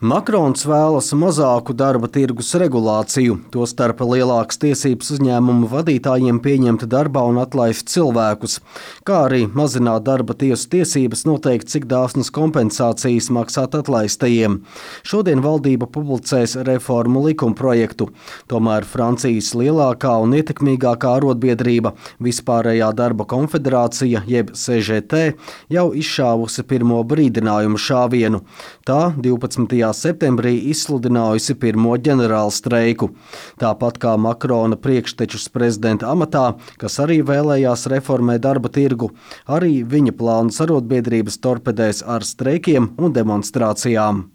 Makrons vēlas mazāku darba tirgus regulāciju, tostarp lielākas tiesības uzņēmumu vadītājiem pieņemt darbā un atlaist cilvēkus, kā arī mazināt darba tiesu tiesības noteikt, cik dāsnas kompensācijas maksāt atlaistajiem. Šodien valdība publicēs reformu likumprojektu. Tomēr Francijas lielākā un ietekmīgākā arotbiedrība Vispārējā darba konfederācija jeb CGT jau izšāvusi pirmo brīdinājumu šāvienu. Tā 12. septembrī izsludinājusi pirmo ģenerālu streiku. Tāpat kā Makrona priekštečus prezidenta amatā, kas arī vēlējās reformēt darba tirgu, arī viņa plānus arotbiedrības torpedēs ar streikiem un demonstrācijām.